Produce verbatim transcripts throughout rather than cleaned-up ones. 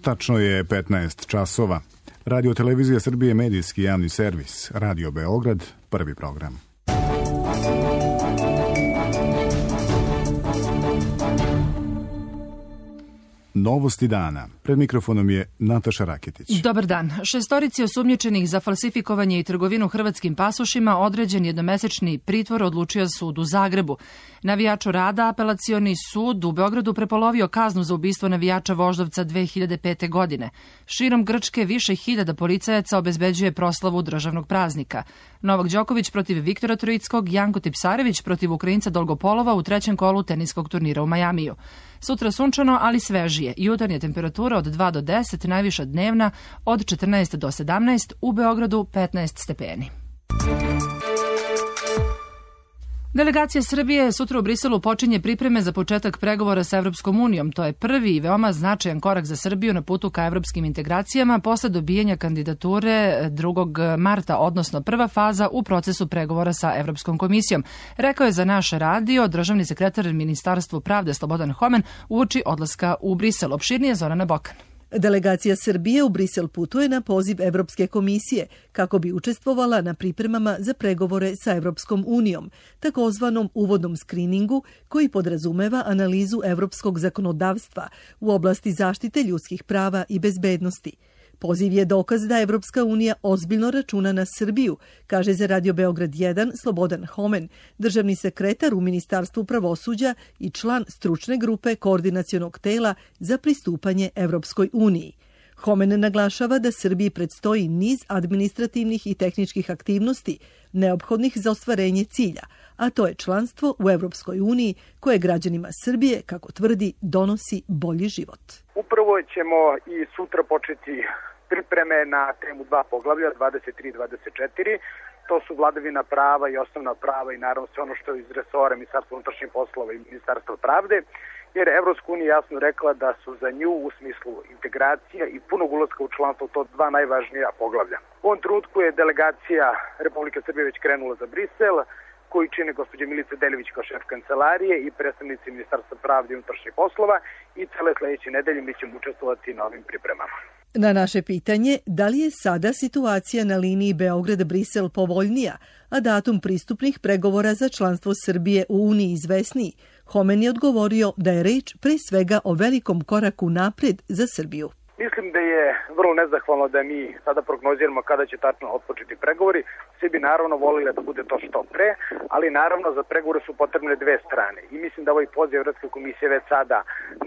Tačno je petnaest časova. Radio Televizija Srbije, medijski javni servis. Radio Beograd, prvi program. Novosti dana. Pred mikrofonom je Nataša Raketić. Dobar dan. Šestorici osumnjičenih za falsifikovanje i trgovinu hrvatskim pasošima određen jednomesečni pritvor odlučio sud u Zagrebu. Navijaču Rada apelacioni sud u Beogradu prepolovio kaznu za ubistvo navijača Voždovca dve hiljade pete. godine. Širom Grčke više hiljada policajaca obezbeđuje proslavu državnog praznika. Novak Đoković protiv Viktora Troickog, Janko Tipsarević protiv Ukrajinca Dolgopolova u trećem kolu teniskog turnira u Majamiju. Sutra sunčano, ali svežije. Jutarnja temperatura od dva do deset, najviša dnevna od četrnaest do sedamnaest, u Beogradu petnaest stepeni. Delegacija Srbije sutra u Briselu počinje pripreme za početak pregovora sa Evropskom unijom. To je prvi i veoma značajan korak za Srbiju na putu ka evropskim integracijama posle dobijanja kandidature drugog marta, odnosno prva faza u procesu pregovora sa Evropskom komisijom. Rekao je za naš radio državni sekretar Ministarstvu pravde Slobodan Homen uoči odlaska u Brisel. Opširnije Zorana Bokan. Delegacija Srbije u Brisel putuje na poziv Evropske komisije kako bi učestvovala na pripremama za pregovore sa Evropskom unijom, takozvanom uvodnom skriningu koji podrazumeva analizu evropskog zakonodavstva u oblasti zaštite ljudskih prava i bezbednosti. Poziv je dokaz da Evropska unija ozbiljno računa na Srbiju, kaže za Radio Beograd jedan Slobodan Homen, državni sekretar u Ministarstvu pravosuđa i član stručne grupe koordinacionog tela za pristupanje Evropskoj uniji. Homen naglašava da Srbiji predstoji niz administrativnih i tehničkih aktivnosti neophodnih za ostvarenje cilja, a to je članstvo u Evropskoj uniji koje građanima Srbije, kako tvrdi, donosi bolji život. Upravo ćemo i sutra početi pripreme na temu dva poglavlja, dvadeset tri i dvadeset četiri. To su vladavina prava i osnovna prava i naravno sve ono što je iz resora Ministarstva unutrašnjih poslova i Ministarstva pravde, jer Evropska unija jasno rekla da su za nju u smislu integracija i punog ulaska u članstvo to dva najvažnija poglavlja. U ovom trenutku je delegacija Republike Srbije već krenula za Brisel, koji čine gospođa Milica Deljević kao šef kancelarije i predstavnici Ministarstva pravde i unutrašnjih poslova, i cele sledeće nedelje mi ćemo učestvovati na ovim pripremama. Na naše pitanje da li je sada situacija na liniji Beograd-Brisel povoljnija, a datum pristupnih pregovora za članstvo Srbije u Uniji izvesniji, Homen je odgovorio da je reč pre svega o velikom koraku napred za Srbiju. Mislim da je vrlo nezahvalno da mi sada prognoziramo kada će tačno otpočeti pregovori. Svi bi naravno volili da bude to što pre, ali naravno za pregovore su potrebne dve strane. I mislim da ovaj poziv Evropske komisije već sada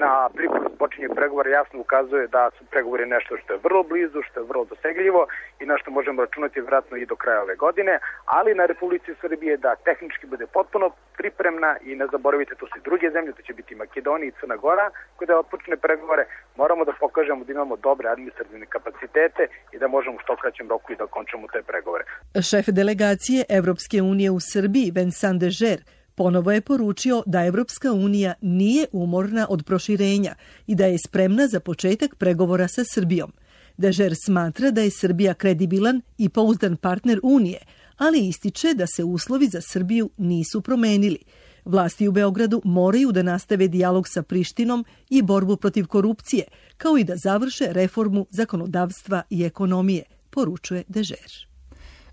na pripremu počinje pregovora jasno ukazuje da su pregovori nešto što je vrlo blizu, što je vrlo dosegljivo i na što možemo računati vjerojatno i do kraja ove godine, ali na Republici Srbije da tehnički bude potpuno pripremna i ne zaboravite, tu su i druge zemlje, to će biti Makedonija i Crna Gora, kada otpočne pregovore, moramo da pokažemo da imamo dobre administrativne kapacitete i da možemo u što kraćem roku i da okončamo te pregovore. Šef delegacije Evropske unije u Srbiji, Vincent Dežer, ponovo je poručio da Evropska unija nije umorna od proširenja i da je spremna za početak pregovora sa Srbijom. Dežer smatra da je Srbija kredibilan i pouzdan partner Unije, ali ističe da se uslovi za Srbiju nisu promenili. Vlasti u Beogradu moraju da nastave dijalog sa Prištinom i borbu protiv korupcije, kao i da završe reformu zakonodavstva i ekonomije, poručuje Dežer.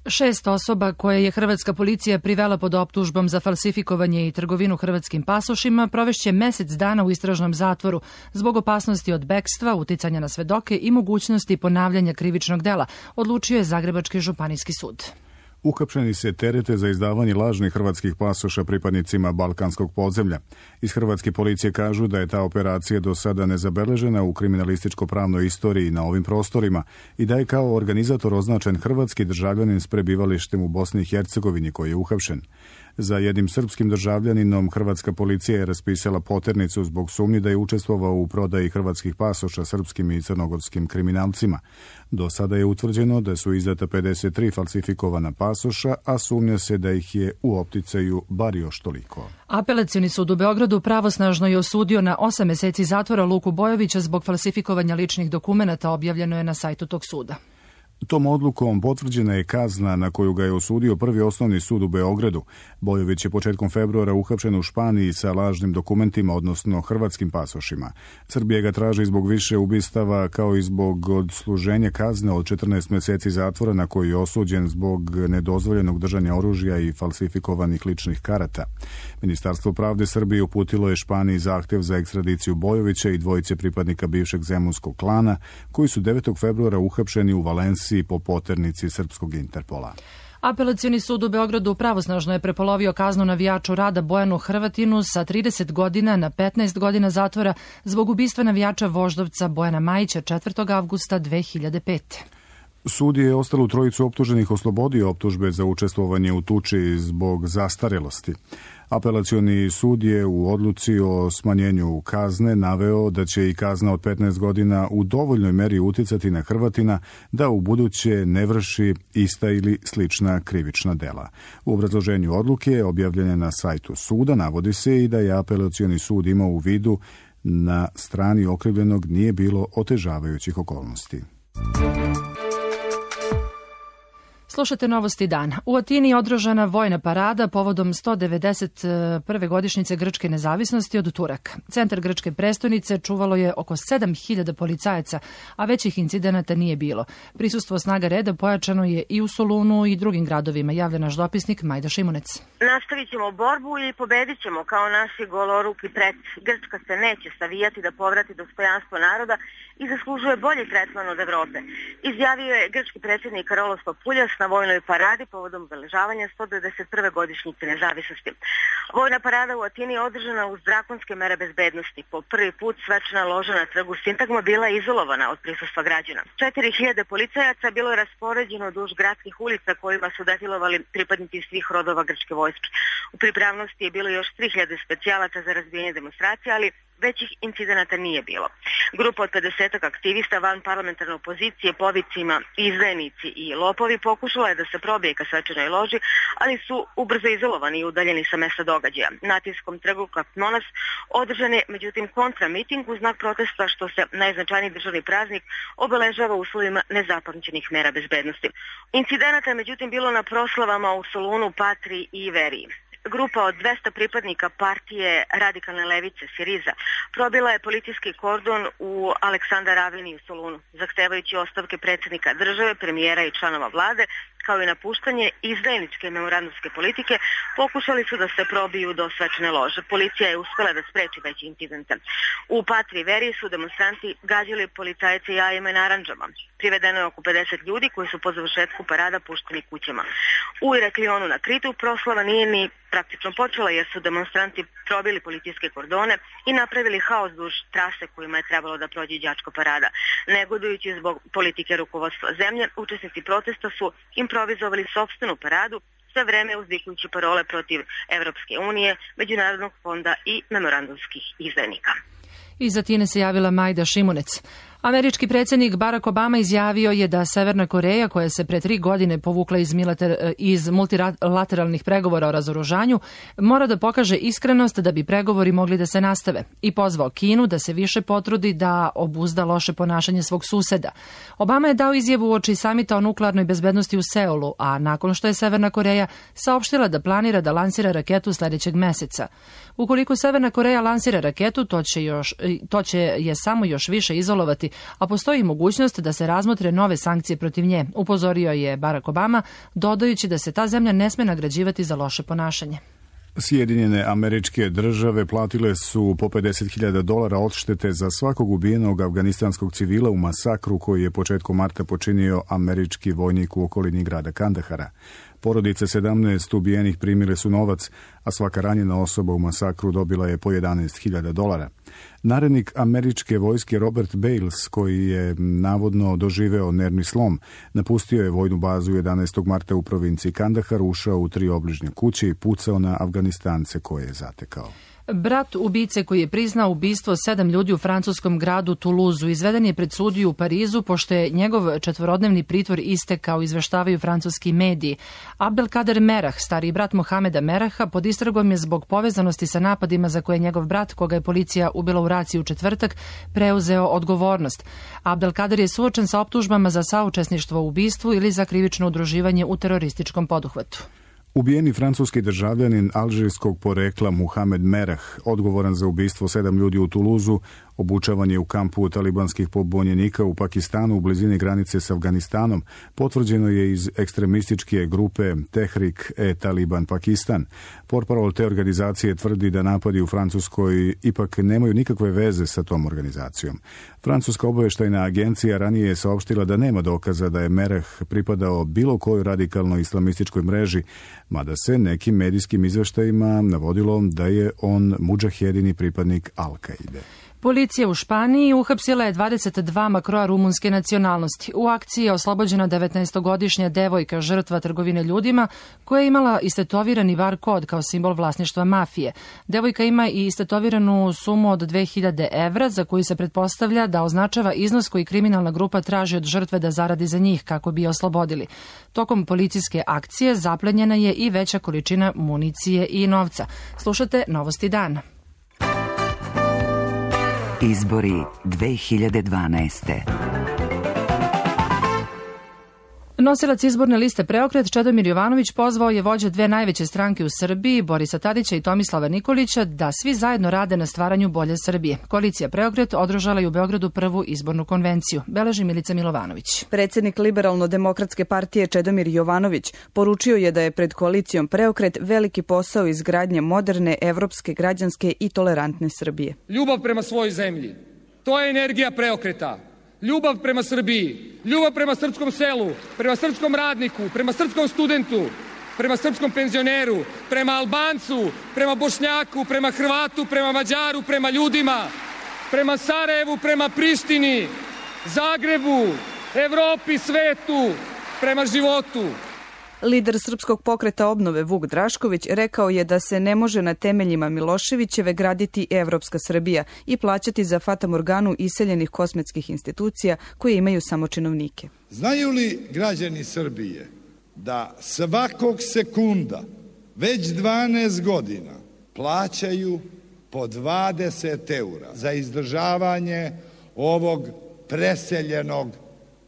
Šest osoba koje je hrvatska policija privela pod optužbom za falsifikovanje i trgovinu hrvatskim pasošima provešće mesec dana u istražnom zatvoru zbog opasnosti od bekstva, uticanja na svedoke i mogućnosti ponavljanja krivičnog dela, odlučio je Zagrebački županijski sud. Uhapšeni se terete za izdavanje lažnih hrvatskih pasoša pripadnicima balkanskog podzemlja. Iz hrvatske policije kažu da je ta operacija do sada nezabeležena u kriminalističko-pravnoj istoriji na ovim prostorima i da je kao organizator označen hrvatski državljanin s prebivalištem u Bosni i Hercegovini koji je uhapšen. Za jednim srpskim državljaninom hrvatska policija je raspisala poternicu zbog sumnji da je učestvovao u prodaji hrvatskih pasoša srpskim i crnogorskim kriminalcima. Do sada je utvrđeno da su izdata pedeset tri falsifikovana pasoša, a sumnja se da ih je u opticaju bar još toliko. Apelacioni sud u Beogradu pravosnažno je osudio na osam meseci zatvora Luku Bojovića zbog falsifikovanja ličnih dokumenata, objavljeno je na sajtu tog suda. Tom odlukom potvrđena je kazna na koju ga je osudio Prvi osnovni sud u Beogradu. Bojović je početkom februara uhapšen u Španiji sa lažnim dokumentima, odnosno hrvatskim pasošima. Srbija ga traži zbog više ubistava kao i zbog odsluženja kazne od četrnaest meseci zatvora na koji je osuđen zbog nedozvoljenog držanja oružja i falsifikovanih ličnih karata. Ministarstvo pravde Srbije uputilo je Španiji zahtev za ekstradiciju Bojovića i dvojice pripadnika bivšeg zemunskog klana koji su devetog februara uhapšeni u Valenciji po poternici srpskog Interpola. Apelacioni sud u Beogradu pravosnažno je prepolovio kaznu navijaču Rada Bojanu Hrvatinu sa trideset godina na petnaest godina zatvora zbog ubistva navijača Voždovca Bojana Majića četvrtog avgusta dve hiljade pete. Sud je ostalu trojicu optuženih oslobodio optužbe za učestvovanje u tuči zbog zastarelosti. Apelacioni sud je u odluci o smanjenju kazne naveo da će i kazna od petnaest godina u dovoljnoj meri uticati na Hrvatina da u buduće ne vrši ista ili slična krivična dela. U obrazloženju odluke, objavljene na sajtu suda, navodi se i da je apelacioni sud imao u vidu na strani okrivljenog nije bilo otežavajućih okolnosti. Slušate novosti dana. U Atini je održana vojna parada povodom sto devedeset prve godišnjice grčke nezavisnosti od Turaka. Centar grčke prestonice čuvalo je oko sedam hiljada policajaca, a većih incidenata nije bilo. Prisustvo snaga reda pojačano je i u Solunu i drugim gradovima, javlja naš dopisnik Majda Šimunec. Nastavit ćemo borbu i pobedit ćemo kao naši goloruki preci. Grčka se neće savijati da povrati dostojanstvo naroda i zaslužuje bolji tretman od Evrope, izjavio je grčki predsjednik Karolos Papuljas na vojnoj paradi povodom obeležavanja sto devedeset prve godišnjice nezavisnosti. Vojna parada u Atini je održana uz drakonske mere bezbednosti. Po prvi put svečana loža na trgu Sintagma bila je izolovana od prisustva građana. četiri hiljade policajaca bilo je raspoređeno duž gradskih ulica kojima su defilovali pripadnici svih rodova grčke vojske. U pripravnosti je bilo još tri hiljade specijalaca za razbijanje demonstracija, ali većih incidenata nije bilo. Grupa od pedesetak aktivista van parlamentarne opozicije po vicima izdajnici i lopovi pokušala je da se probije ka svečanoj loži, ali su ubrzo izolovani i udaljeni sa mesta događaja. Na Atinskom trgu Kapnonas održan je međutim kontramiting u znak protesta što se najznačajniji državni praznik obeležava u uslovima nezapamćenih mera bezbednosti. Incidenata je međutim bilo na proslavama u Solunu, Patri i Veriji. Grupa od dvesta pripadnika partije radikalne levice Siriza probila je policijski kordon u Aleksandar Aveni u Solunu, zahtevajući ostavke predsjednika države, premijera i članova vlade, kao i napuštanje izdajničke memorandumske politike, pokušali su da se probiju do svečane lože. Policija je uspela da spreči veći incidente. U Patri i Veriji su demonstranti gađali policajce jajima i narandžama. Privedeno je oko pedeset ljudi koji su po završetku parada pušteni kućama. U Iraklionu na Kritu proslava nije ni praktično počela jer su demonstranti probili policijske kordone i napravili haos duž trase kojima je trebalo da prođe đačka parada. Negodujući zbog politike rukovodstva zemlje, učesnici protesta su improvizovali sopstvenu paradu, sve vreme uzvikujući parole protiv Evropske unije, Međunarodnog fonda i memorandumskih izdajnika. Iz Atine se javila Majda Šimunec. Američki predsjednik Barack Obama izjavio je da Severna Koreja, koja se pre tri godine povukla iz, militar, iz multilateralnih pregovora o razoružanju, mora da pokaže iskrenost da bi pregovori mogli da se nastave i pozvao Kinu da se više potrudi da obuzda loše ponašanje svog suseda. Obama je dao izjavu uoči samita o nuklearnoj bezbednosti u Seulu, a nakon što je Severna Koreja saopštila da planira da lansira raketu sledećeg meseca. Ukoliko Severna Koreja lansira raketu, to će, još, to će je samo još više izolovati, a postoji mogućnost da se razmotre nove sankcije protiv nje, upozorio je Barack Obama, dodajući da se ta zemlja ne sme nagrađivati za loše ponašanje. Sjedinjene Američke Države platile su po pedeset hiljada dolara odštete za svakog ubijenog afganistanskog civila u masakru koji je početkom marta počinio američki vojnik u okolini grada Kandahara. Porodice sedamnaest ubijenih primile su novac, a svaka ranjena osoba u masakru dobila je po jedanaest hiljada dolara. Narednik američke vojske Robert Bales, koji je navodno doživeo nervni slom, napustio je vojnu bazu jedanaestog marta u provinciji Kandahar, ušao u tri obližnje kuće i pucao na Afganistance koje je zatekao. Brat ubice koji je priznao ubistvo sedam ljudi u francuskom gradu Toulouseu izveden je pred sudiju u Parizu pošto je njegov četvorodnevni pritvor istekao, izveštavaju francuski mediji. Abdelkader Merah, stariji brat Mohameda Meraha, pod istragom je zbog povezanosti sa napadima za koje je njegov brat, koga je policija ubila u raciji u četvrtak, preuzeo odgovornost. Abdelkader je suočen sa optužbama za saučesništvo u ubistvu ili za krivično udruživanje u terorističkom poduhvatu. Ubijeni francuski državljanin alžirskog porekla Mohamed Merah, odgovoran za ubistvo sedam ljudi u Toulouseu, obučavan je u kampu talibanskih pobunjenika u Pakistanu u blizini granice s Afganistanom, potvrđeno je iz ekstremističke grupe Tehrik-e-Taliban Pakistan. Portparol te organizacije tvrdi da napadi u Francuskoj ipak nemaju nikakve veze sa tom organizacijom. Francuska obavještajna agencija ranije je saopštila da nema dokaza da je Merah pripadao bilo kojoj radikalnoj islamističkoj mreži, mada se nekim medijskim izveštajima navodilo da je on mudžahedini pripadnik Al-Kaide. Policija u Španiji uhapsila je dvadeset dva makroa rumunske nacionalnosti. U akciji je oslobođena devetnaestogodišnja devojka, žrtva trgovine ljudima, koja je imala istetovirani var kod kao simbol vlasništva mafije. Devojka ima i istetoviranu sumu od dve hiljade evra, za koju se pretpostavlja da označava iznos koji kriminalna grupa traži od žrtve da zaradi za njih kako bi je oslobodili. Tokom policijske akcije zaplenjena je i veća količina municije i novca. Slušate Novosti dana. Izbori dve hiljade dvanaeste. Nosilac izborne liste Preokret Čedomir Jovanović pozvao je vođe dve najveće stranke u Srbiji, Borisa Tadića i Tomislava Nikolića, da svi zajedno rade na stvaranju bolje Srbije. Koalicija Preokret održala je u Beogradu prvu izbornu konvenciju. Beleži Milica Milovanović. Predsjednik Liberalno-demokratske partije Čedomir Jovanović poručio je da je pred koalicijom Preokret veliki posao izgradnje moderne, evropske, građanske i tolerantne Srbije. Ljubav prema svojoj zemlji, to je energija Preokreta. Ljubav prema Srbiji, ljubav prema srpskom selu, prema srpskom radniku, prema srpskom studentu, prema srpskom penzioneru, prema Albancu, prema Bošnjaku, prema Hrvatu, prema Mađaru, prema ljudima, prema Sarajevu, prema Prištini, Zagrebu, Evropi, svetu, prema životu. Lider Srpskog pokreta obnove Vuk Drašković rekao je da se ne može na temeljima Miloševićeve graditi evropska Srbija i plaćati za fatamorganu iseljenih kosmetskih institucija koje imaju samo činovnike. Znaju li građani Srbije da svakog sekunda već dvanaest godina plaćaju po dvadeset eura za izdržavanje ovog preseljenog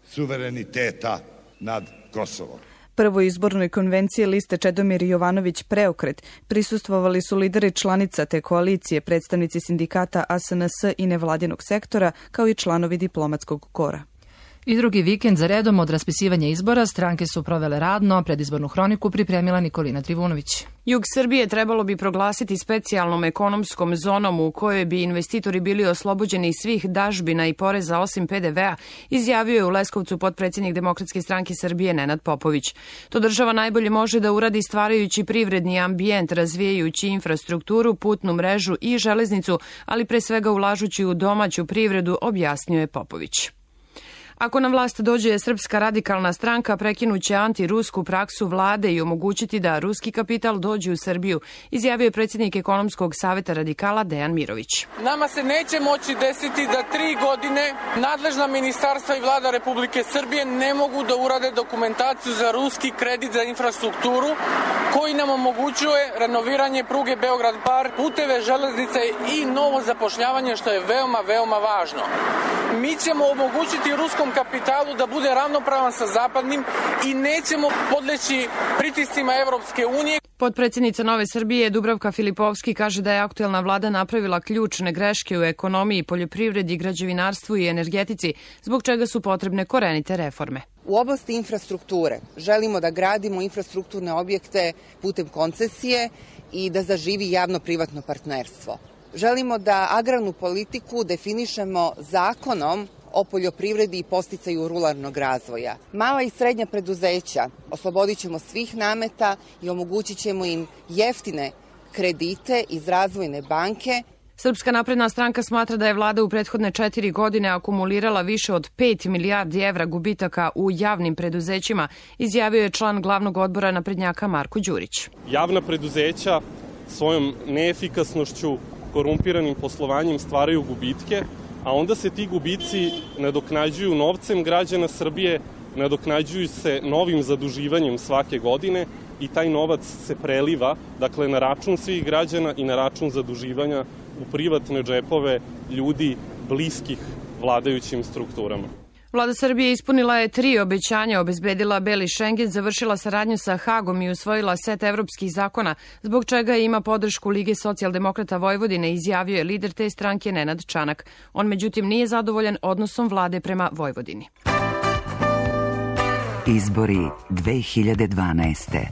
suvereniteta nad Kosovom? Prvoj izbornoj konvenciji liste Čedomir Jovanović Preokret prisustvovali su lideri članica te koalicije, predstavnici sindikata A S N S i nevladinog sektora, kao i članovi diplomatskog kora. I drugi vikend za redom od raspisivanja izbora stranke su provele radno, predizbornu hroniku pripremila Nikolina Trivunović. Jug Srbije trebalo bi proglasiti specijalnom ekonomskom zonom u kojoj bi investitori bili oslobođeni svih dažbina i poreza osim P D V-a, izjavio je u Leskovcu potpredsjednik Demokratske stranke Srbije Nenad Popović. To država najbolje može da uradi stvarajući privredni ambijent, razvijajući infrastrukturu, putnu mrežu i železnicu, ali pre svega ulažući u domaću privredu, objasnio je Popović. Ako na vlast dođe Srpska radikalna stranka, prekinuće antirusku praksu vlade i omogućiti da ruski kapital dođe u Srbiju, izjavio je predsjednik ekonomskog saveta radikala Dejan Mirović. Nama se neće moći desiti da tri godine nadležna ministarstva i vlada Republike Srbije ne mogu da urade dokumentaciju za ruski kredit za infrastrukturu koji nam omogućuje renoviranje pruge Beograd-Bar, puteve, železnice i novo zapošljavanje, što je veoma, veoma važno. Mi ćemo omogućiti ruskom kapitalu da bude ravnopravan sa zapadnim i nećemo podleći pritiscima Evropske unije. Potpredsjednica Nove Srbije Dubravka Filipovski kaže da je aktuelna vlada napravila ključne greške u ekonomiji, poljoprivredi, građevinarstvu i energetici, zbog čega su potrebne korenite reforme. U oblasti infrastrukture želimo da gradimo infrastrukturne objekte putem koncesije i da zaživi javno-privatno partnerstvo. Želimo da agrarnu politiku definišemo zakonom o poljoprivredi i podsticaju ruralnog razvoja. Mala i srednja preduzeća oslobodit ćemo svih nameta i omogućit ćemo im jeftine kredite iz razvojne banke. Srpska napredna stranka smatra da je vlada u prethodne četiri godine akumulirala više od pet milijardi evra gubitaka u javnim preduzećima, izjavio je član glavnog odbora naprednjaka Marko Đurić. Javna preduzeća svojom neefikasnošću, korumpiranim poslovanjem stvaraju gubitke, a onda se ti gubici nadoknađuju novcem građana Srbije, nadoknađuju se novim zaduživanjem svake godine i taj novac se preliva, dakle, na račun svih građana i na račun zaduživanja u privatne džepove ljudi bliskih vladajućim strukturama. Vlada Srbije ispunila je tri obećanja, obezbedila Beli Šengen, završila saradnju sa Hagom i usvojila set evropskih zakona, zbog čega ima podršku Lige socijaldemokrata Vojvodine, izjavio je lider te stranke Nenad Čanak. On međutim nije zadovoljan odnosom vlade prema Vojvodini. Izbori dve hiljade dvanaeste.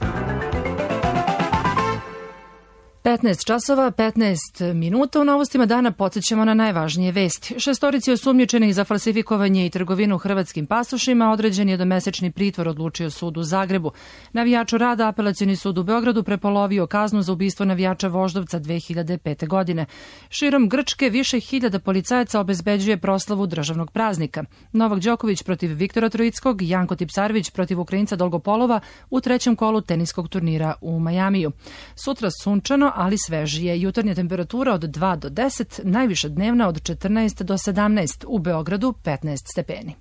petnaest časova, petnaest minuta. U novostima dana podsjećamo na najvažnije vesti. Šestorici osumnjičenih za falsifikovanje i trgovinu hrvatskim pasošima određen je domesečni pritvor, odlučio sud u Zagrebu. Navijaču Rada Apelacioni sud u Beogradu prepolovio kaznu za ubistvo navijača Voždovca dve hiljade pete. godine. Širom Grčke više hiljada policajaca obezbeđuje proslavu državnog praznika. Novak Đoković protiv Viktora Troickog, Janko Tipsarević protiv Ukrajinca Dolgopolova u trećem kolu teniskog turnira u Majamiju. Sutra sunčano, ali svežije. Jutarnja temperatura od dva do deset, najviša dnevna od četrnaest do sedamnaest, u Beogradu petnaest stepeni.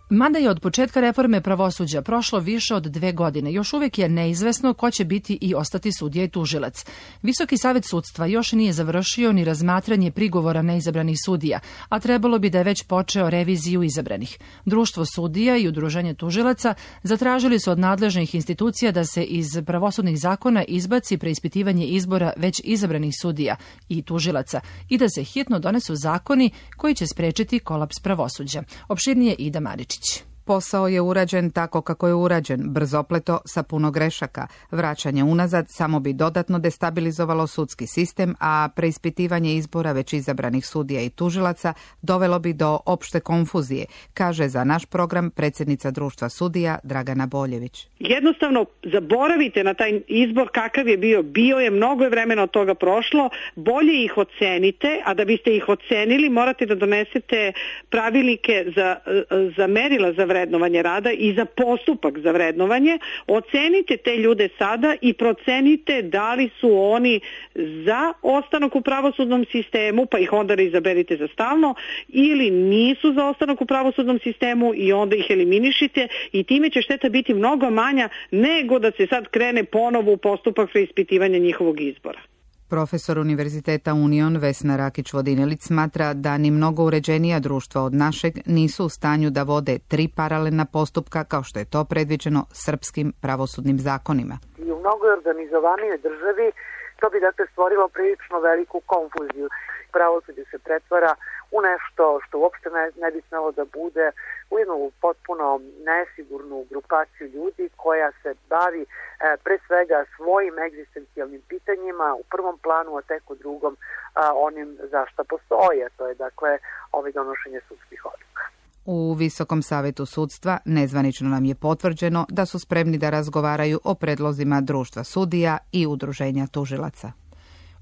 Mada je od početka reforme pravosuđa prošlo više od dve godine, još uvijek je neizvesno ko će biti i ostati sudija i tužilac. Visoki savet sudstva još nije završio ni razmatranje prigovora neizabranih sudija, a trebalo bi da je već počeo reviziju izabranih. Društvo sudija i udruženje tužilaca zatražili su od nadležnih institucija da se iz pravosudnih zakona izbaci preispitivanje izbora već izabranih sudija i tužilaca i da se hitno donesu zakoni koji će sprečiti kolaps pravosuđa. Opširnije Ida Maričić. Posao je urađen tako kako je urađen, brzopleto, sa puno grešaka. Vraćanje unazad samo bi dodatno destabilizovalo sudski sistem, a preispitivanje izbora već izabranih sudija i tužilaca dovelo bi do opšte konfuzije, kaže za naš program predsjednica Društva sudija Dragana Boljević. Jednostavno zaboravite na taj izbor kakav je bio. Bio je, mnogo je vremena od toga prošlo, bolje ih ocenite, a da biste ih ocenili morate da donesete pravilnike za, za merila za vrednovanje rada i za postupak za vrednovanje. Ocenite te ljude sada i procenite da li su oni za ostanak u pravosudnom sistemu, pa ih onda izaberite za stalno, ili nisu za ostanak u pravosudnom sistemu i onda ih eliminišite i time će šteta biti mnogo manja nego da se sad krene ponovo u postupak preispitivanja njihovog izbora. Profesor Univerziteta Union Vesna Rakić-Vodinelić smatra da ni mnogo uređenija društva od našeg nisu u stanju da vode tri paralelna postupka kao što je to predviđeno srpskim pravosudnim zakonima. I u mnogo organizovanijoj državi to bi dakle stvorilo prilično veliku konfuziju. Pravosuđe se pretvara u nešto što uopšte ne, ne bi smelo da bude, u jednu potpuno nesigurnu grupaciju ljudi koja se bavi e, pre svega svojim egzistencijalnim pitanjima u prvom planu, a tek u drugom a, onim za šta postoje. To je dakle ovaj donošenje sudskih odluka. U Visokom savetu sudstva nezvanično nam je potvrđeno da su spremni da razgovaraju o predlozima Društva sudija i udruženja tužilaca.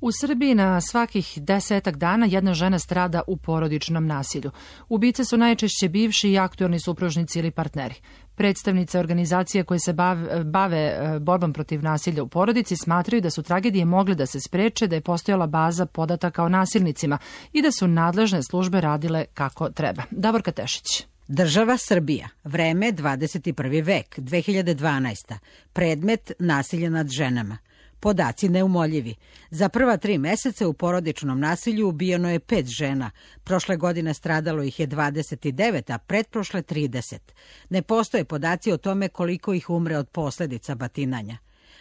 U Srbiji na svakih desetak dana jedna žena strada u porodičnom nasilju. Ubice su najčešće bivši i aktuelni supružnici ili partneri. Predstavnice organizacije koje se bave, bave borbom protiv nasilja u porodici smatraju da su tragedije mogle da se spreče, da je postojala baza podataka o nasilnicima i da su nadležne službe radile kako treba. Davorka Tešić. Država Srbija, vreme dvadeset prvi vek, dve hiljade dvanaesta. Predmet nasilja nad ženama. Podaci neumoljivi. Za prva tri meseca u porodičnom nasilju ubijeno je pet žena. Prošle godine stradalo ih je dvadeset devet, a pretprošle trideset. Ne postoje podaci o tome koliko ih umre od posljedica batinanja.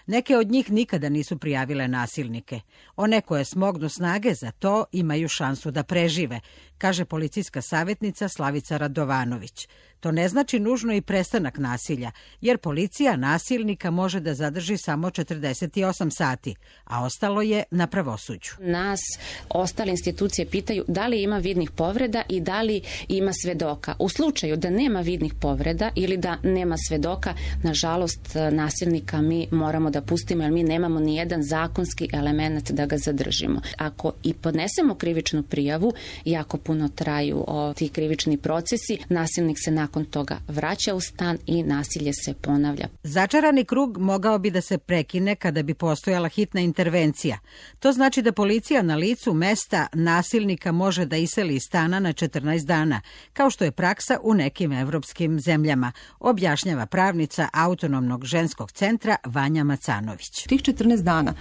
Neke od njih nikada nisu prijavile nasilnike. One koje smognu snage za to imaju šansu da prežive, kaže policijska savjetnica Slavica Radovanović. To ne znači nužno i prestanak nasilja, jer policija nasilnika može da zadrži samo četrdeset osam sati, a ostalo je na pravosuđu. Nas ostale institucije pitaju da li ima vidnih povreda i da li ima svedoka. U slučaju da nema vidnih povreda ili da nema svedoka, nažalost nasilnika mi moramo da pustimo, jer mi nemamo ni jedan zakonski element da ga zadržimo. Ako i podnesemo krivičnu prijavu i ako dugo traju o, ti krivični procesi, nasilnik se nakon toga vraća u stan i nasilje se ponavlja. Začarani krug mogao bi da se prekine kada bi postojala hitna intervencija. To znači da policija na licu mesta nasilnika može da iseli iz stana na četrnaest dana, kao što je praksa u nekim evropskim zemljama, objašnjava pravnica Autonomnog ženskog centra Vanja Macanović. Tih četrnaest dana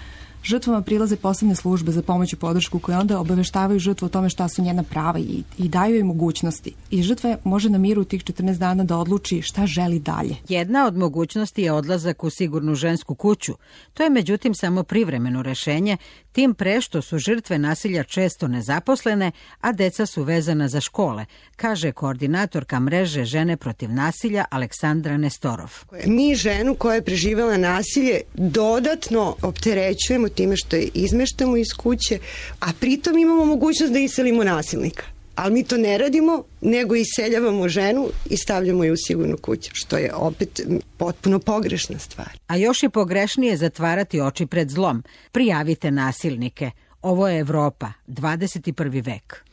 žrtvama prilaze posebne službe za pomoć i podršku koje onda obaveštavaju žrtvu o tome šta su njena prava i, i daju joj mogućnosti. I žrtva može na miru tih četrnaest dana da odluči šta želi dalje. Jedna od mogućnosti je odlazak u sigurnu žensku kuću. To je međutim samo privremeno rešenje, tim pre što su žrtve nasilja često nezaposlene, a deca su vezana za škole, kaže koordinatorka mreže Žene protiv nasilja Aleksandra Nestorov. Mi ženu koja je preživela nasilje dodatno opterećujemo time što je izmeštamo iz kuće, a pritom imamo mogućnost da iselimo nasilnika. Ali mi to ne radimo, nego iseljavamo ženu i stavljamo je u sigurnu kuću, što je opet potpuno pogrešna stvar. A još je pogrešnije zatvarati oči pred zlom. Prijavite nasilnike. Ovo je Evropa, dvadeset prvi vek.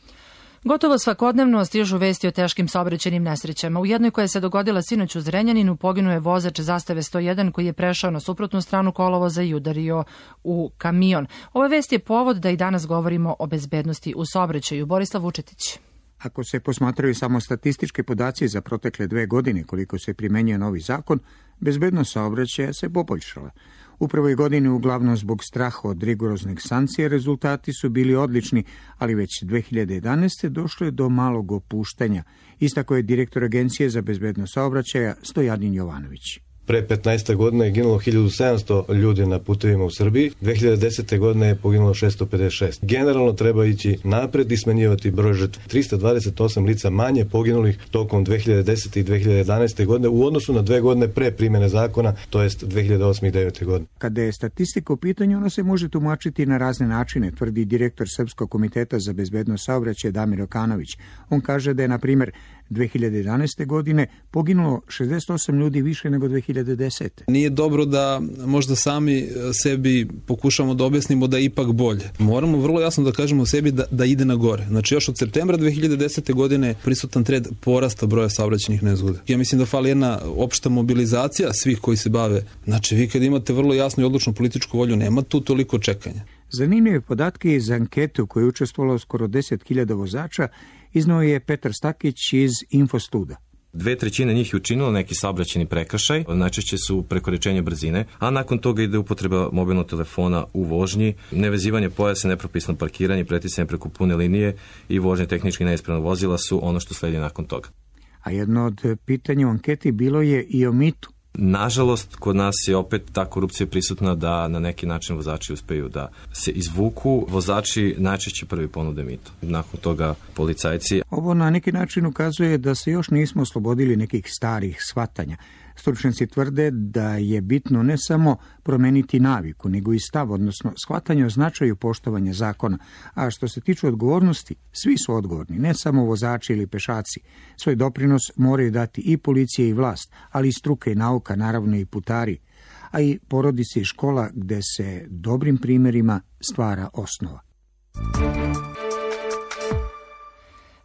Gotovo svakodnevno stižu vesti o teškim saobraćajnim nesrećama. U jednoj koja se dogodila sinoć u Zrenjaninu poginuo je vozač Zastave sto jedan koji je prešao na suprotnu stranu kolovoza i udario u kamion. Ova vest je povod da i danas govorimo o bezbednosti u saobraćaju. Borislav Vučetić. Ako se posmatraju samo statistički podaci za protekle dve godine koliko se primenjuje novi zakon, bezbednost saobraćaja se poboljšala. U prvoj godini, uglavnom zbog straha od rigoroznih sankcija, rezultati su bili odlični, ali već dve hiljade jedanaeste. došlo je do malog opuštanja, istako je direktor Agencije za bezbednost saobraćaja Stojadin Jovanović. Pre petnaest godina je ginulo hiljadu sedamsto ljudi na putevima u Srbiji, dve hiljade desete. godine je poginulo šesto pedeset šest. Generalno treba ići napred i smanjivati broj žrtva. trista dvadeset osam lica manje poginulih tokom dve hiljade desete. i dve hiljade jedanaeste. godine u odnosu na dve godine pre primjene zakona, to jest dve hiljade osme. i devete. godine. Kada je statistika u pitanju, ona se može tumačiti na razne načine, tvrdi direktor Srpskog komiteta za bezbednost saobraćaja Damir Okanović. On kaže da je, na primjer, dve hiljade jedanaeste. godine poginulo šezdeset osam ljudi više nego dve hiljade desete. Nije dobro da možda sami sebi pokušamo da objasnimo da je ipak bolje. Moramo vrlo jasno da kažemo sebi da, da ide na gore. Znači još od septembra dve hiljade desete. godine prisutan trend porasta broja saobraćajnih nezgoda. Ja mislim da fali jedna opšta mobilizacija svih koji se bave. Znači vi kad imate vrlo jasnu i odlučnu političku volju, nema tu toliko čekanja. Zanimljive podatke iz ankete u kojoj je učestvovalo skoro deset hiljada vozača iznao je Petar Stakić iz Infostuda. Dve trećine njih je učinilo neki saobraćajni prekršaj, najčešće su prekoračenje brzine, a nakon toga ide upotreba mobilnog telefona u vožnji, nevezivanje pojasa, nepropisno parkiranje, preticanje preko pune linije i vožnje tehnički neispravnog vozila su ono što sledi nakon toga. A jedno od pitanja u anketi bilo je i o mitu. Nažalost, kod nas je opet ta korupcija prisutna da na neki način vozači uspeju da se izvuku. Vozači najčešće prvi ponude mito. Nakon toga policajci. Ovo na neki način ukazuje da se još nismo oslobodili nekih starih shvatanja. Stručnjaci tvrde da je bitno ne samo promeniti naviku, nego i stav, odnosno shvatanje o značaju poštovanja zakona. A što se tiče odgovornosti, svi su odgovorni, ne samo vozači ili pešaci. Svoj doprinos moraju dati i policija i vlast, ali i struka i nauka, naravno i putari, a i porodice i škola gde se dobrim primjerima stvara osnova.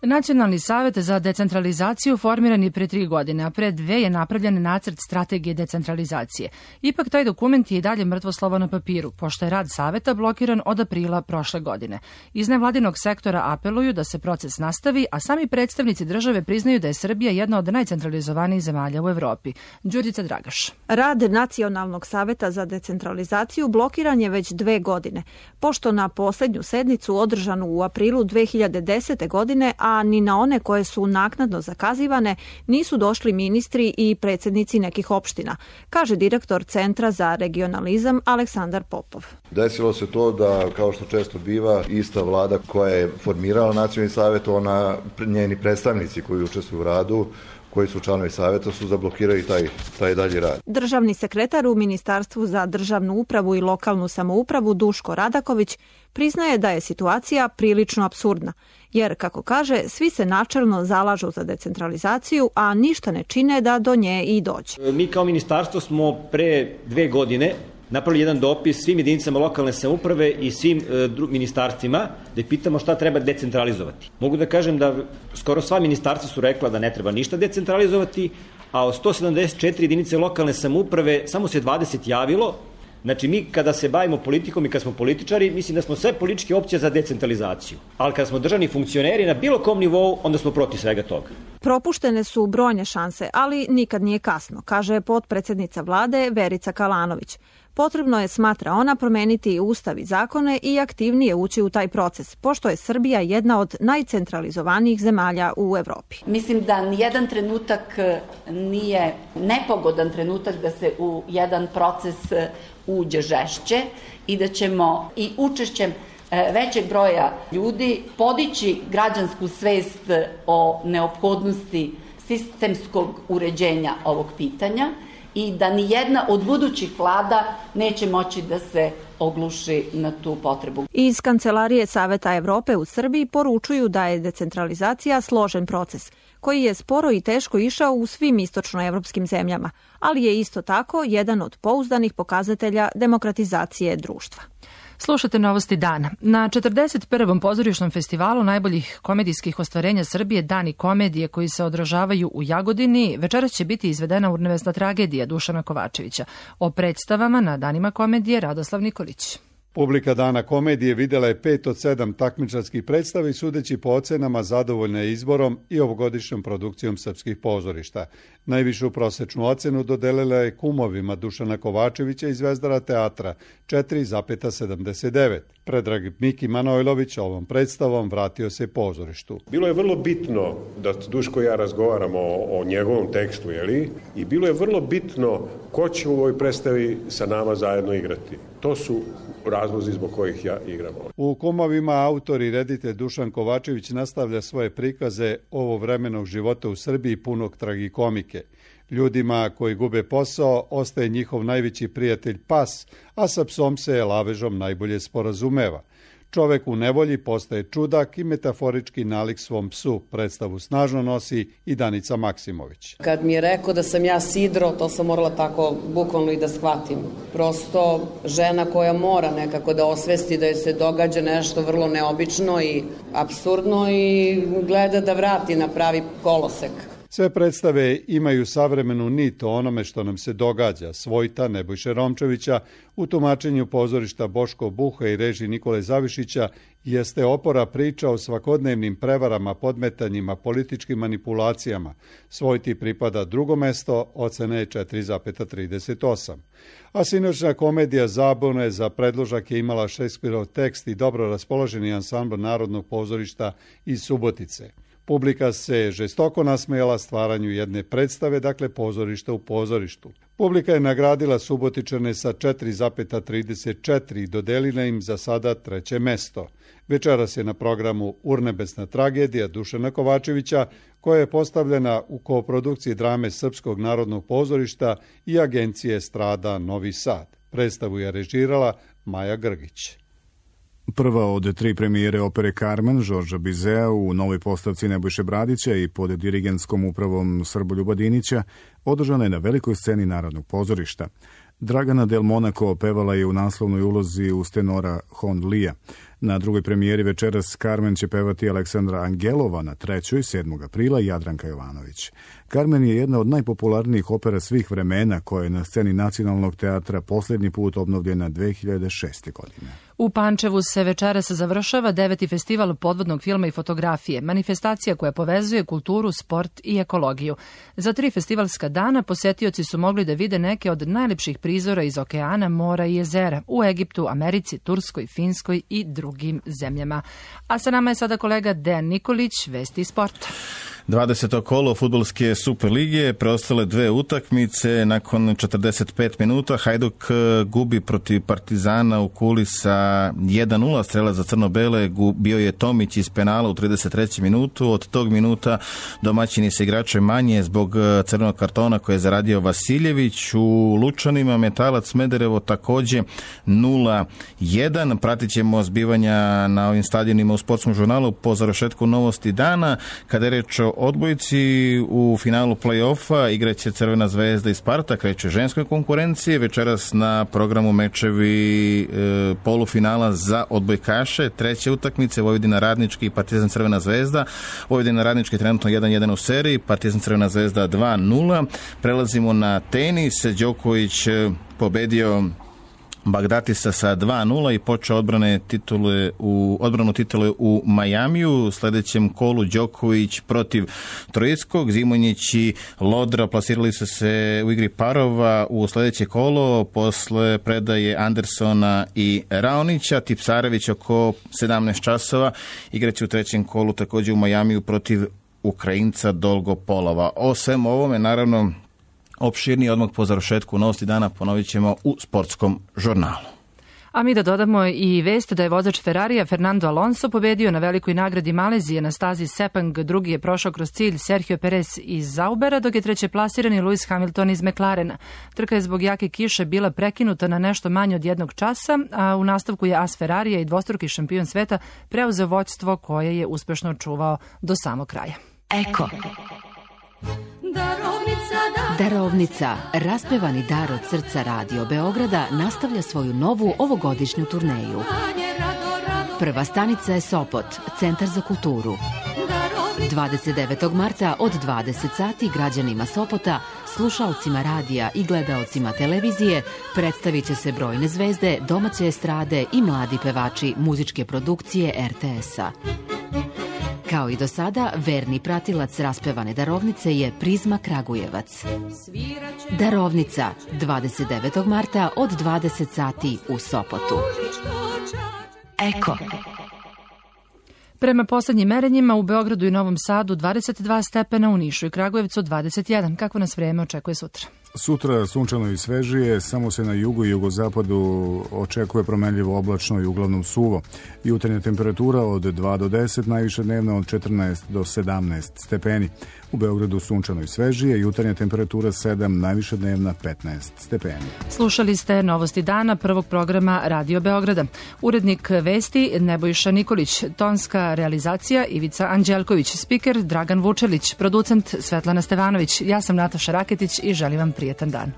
Nacionalni savet za decentralizaciju formiran je pre tri godine, a pre dve je napravljen nacrt strategije decentralizacije. Ipak taj dokument je i dalje mrtvo slovo na papiru, pošto je rad saveta blokiran od aprila prošle godine. Iz nevladinog sektora apeluju da se proces nastavi, a sami predstavnici države priznaju da je Srbija jedna od najcentralizovanijih zemalja u Evropi. Đurđica Dragaš. Rad Nacionalnog saveta za decentralizaciju blokiran je već dve godine, pošto na poslednju sednicu održanu u aprilu dve hiljade desete. godine, a ni na one koje su naknadno zakazivane nisu došli ministri i predsjednici nekih opština, kaže direktor Centra za regionalizam Aleksandar Popov. Desilo se to da, kao što često biva, ista vlada koja je formirala Nacionalni savet, ona, njeni predstavnici koji učestvuju u radu, koji su članovi saveta, su zablokirali taj, taj dalji rad. Državni sekretar u Ministarstvu za državnu upravu i lokalnu samoupravu Duško Radaković priznaje da je situacija prilično apsurdna, jer, kako kaže, svi se načelno zalažu za decentralizaciju, a ništa ne čine da do nje i dođe. Mi kao ministarstvo smo pre dve godine napravili jedan dopis svim jedinicama lokalne samouprave i svim e, dru, ministarstvima da ih pitamo šta treba decentralizovati. Mogu da kažem da skoro sva ministarstva su rekla da ne treba ništa decentralizovati, a od sto sedamdeset četiri jedinice lokalne samouprave samo se dvadeset javilo. Znači, mi kada se bavimo politikom i kad smo političari, mislim da smo sve političke opcije za decentralizaciju. Ali kada smo državni funkcioneri na bilo kom nivou, onda smo protiv svega toga. Propuštene su brojne šanse, ali nikad nije kasno, kaže potpredsednica vlade Verica Kalanović. Potrebno je, smatra ona, promeniti ustav i zakone i aktivnije ući u taj proces, pošto je Srbija jedna od najcentralizovanijih zemalja u Evropi. Mislim da nijedan trenutak nije nepogodan trenutak da se u jedan proces uđe žešće i da ćemo i učešćem većeg broja ljudi podići građansku svest o neophodnosti sistemskog uređenja ovog pitanja i da ni jedna od budućih vlada neće moći da se ogluši na tu potrebu. Iz Kancelarije Saveta Evrope u Srbiji poručuju da je decentralizacija složen proces, koji je sporo i teško išao u svim istočnoevropskim zemljama, ali je isto tako jedan od pouzdanih pokazatelja demokratizacije društva. Slušate Novosti dana. Na četrdeset prvom pozorišnom festivalu najboljih komedijskih ostvarenja Srbije Dani komedije koji se odražavaju u Jagodini večeras će biti izvedena urnebesna tragedija Dušana Kovačevića. O predstavama na Danima komedije Radoslav Nikolić. Publika Dana komedije videla je pet od sedam takmičarskih predstava i sudeći po ocenama zadovoljna je izborom i ovogodišnjom produkcijom srpskih pozorišta. Najvišu prosečnu ocenu dodelila je Kumovima Dušana Kovačevića i Zvezdara teatra četiri zarez sedamdeset devet. Predrag Miki Manojlović ovom predstavom vratio se pozorištu. Bilo je vrlo bitno da Duško i ja razgovaramo o, o njegovom tekstu, jeli? I bilo je vrlo bitno ko će u ovoj predstavi sa nama zajedno igrati. To su razlozi zbog kojih ja igram. U Kumovima autor i reditelj Dušan Kovačević nastavlja svoje prikaze ovovremenog života u Srbiji punog tragikomike. Ljudima koji gube posao ostaje njihov najveći prijatelj pas, a sa psom se lavežom najbolje sporazumeva. Čovek u nevolji postaje čudak i metaforički nalik svom psu. Predstavu snažno nosi i Danica Maksimović. Kad mi je rekao da sam ja sidro, to sam morala tako bukvalno i da shvatim. Prosto žena koja mora nekako da osvesti da joj se događa nešto vrlo neobično i apsurdno i gleda da vrati na pravi kolosek. Sve predstave imaju savremenu nit o onome što nam se događa. Svojta Nebojše Romčevića u tumačenju pozorišta Boško Buha i režiji Nikole Zavišića jeste opora priča o svakodnevnim prevarama, podmetanjima, političkim manipulacijama. Svojti pripada drugo mesto, ocena je četiri zarez trideset osam. A sinoćna komedija Zabune za predložak je imala Šekspirov tekst i dobro raspoloženi ansambl Narodnog pozorišta iz Subotice. Publika se žestoko nasmejala stvaranju jedne predstave, dakle pozorišta u pozorištu. Publika je nagradila Subotičane sa četiri zarez trideset četiri i dodelila im za sada treće mesto. Večeras je na programu urnebesna tragedija Dušana Kovačevića, koja je postavljena u koprodukciji drame Srpskog narodnog pozorišta i agencije Strada Novi Sad. Predstavu je režirala Maja Grgić. Prva od tri premijere opere Carmen Žorža Bizea u novoj postavci Nebojše Bradića i pod dirigentskom upravom Srboljuba Dinića održana je na velikoj sceni Narodnog pozorišta. Dragana Del Monaco pevala je u naslovnoj ulozi uz tenora Hon Lija. Na drugoj premijeri večeras Carmen će pevati Aleksandra Angelova, na trećoj sedmog aprila Jadranka Jovanović. Carmen je jedna od najpopularnijih opera svih vremena koja je na sceni Nacionalnog teatra posljednji put obnovljena dve hiljade šeste. godine. U Pančevu se večeras završava deveti festival podvodnog filma i fotografije, manifestacija koja povezuje kulturu, sport i ekologiju. Za tri festivalska dana posetioci su mogli da vide neke od najlepših prizora iz okeana, mora i jezera u Egiptu, Americi, Turskoj, Finskoj i drugim zemljama. A sa nama je sada kolega Dejan Nikolić, vesti sporta. dvadeseto kolo fudbalske Super lige, preostale dve utakmice. Nakon četrdeset pet minuta Hajduk gubi protiv Partizana u Kuli sa jedan nula. Strela za crno-bele bio je Tomić iz penala u trideset trećem minutu. Od tog minuta domaćini se igrače manje zbog crvenog kartona koje je zaradio Vasiljević. U Lučanima Metalac Smederevo takođe nula jedan. Pratit ćemo zbivanja na ovim stadionima u sportskom žurnalu po završetku Novosti dana. Kada je reč odbojci u finalu play-offa igraće Crvena zvezda i Sparta, kreće ženskoj konkurenciji. Večeras na programu mečevi e, polufinala za odbojkaše. Treće utakmice Vojvodina Radnički i Partizan Crvena zvezda. Vojvodina Radnički trenutno jedan jedan u seriji, Partizan Crvena zvezda dva nula. Prelazimo na tenis. Đoković pobedio Bagdatisa sa dva nula i počeo odbrane titule u, odbranu titule u Majamiju. U sledećem kolu Đoković protiv Trojskog. Zimonjić i Lodra plasirali su se u igri parova u sledeće kolo posle predaje Andersona i Raonića. Tipsarević oko sedamnaest časova igraće u trećem kolu takođe u Majamiju protiv Ukrajinca Dolgopolova. O svem ovome, naravno, opširnije odmah po završetku Novosti dana ponovit ćemo u sportskom žurnalu. A mi da dodamo i vest da je vozač Ferrarija Fernando Alonso pobedio na velikoj nagradi Malezije na stazi Sepang, drugi je prošao kroz cilj Sergio Perez iz Zaubera, dok je treće plasirani Lewis Hamilton iz McLarena. Trka je zbog jake kiše bila prekinuta na nešto manje od jednog časa, a u nastavku je as Ferrarija i dvostruki šampion sveta preuzeo vođstvo koje je uspešno čuvao do samog kraja. Eko. Darovnica, raspevani dar od srca Radio Beograda, nastavlja svoju novu ovogodišnju turneju. Prva stanica je Sopot, Centar za kulturu. dvadeset devetog marta od dvadeset sati građanima Sopota, slušalcima radija i gledaocima televizije predstavit će se brojne zvezde, domaće estrade i mladi pevači muzičke produkcije er te es-a. Kao i do sada, verni pratilac raspevane darovnice je Prizma Kragujevac. Darovnica, dvadeset devetog marta od dvadeset sati u Sopotu. Eko. Prema poslednjim merenjima u Beogradu i Novom Sadu dvadeset dva stepena, u Nišu i Kragujevcu dvadeset jedan. Kako nas vreme očekuje sutra? Sutra sunčano i svežije, samo se na jugu i jugozapadu očekuje promenljivo oblačno i uglavnom suvo. Jutarnja temperatura od dva do deset, najviša dnevna od četrnaest do sedamnaest stepeni. U Beogradu sunčano i svežije, jutarnja temperatura sedam, najviša dnevna petnaest stepeni. Slušali ste Novosti dana prvog programa Radio Beograda. Urednik vesti Nebojša Nikolić, tonska realizacija Ivica Anđelković, spiker Dragan Vučelić, producent Svetlana Stevanović. Ja sam Nataša Raketić i želim vam prijetan dan.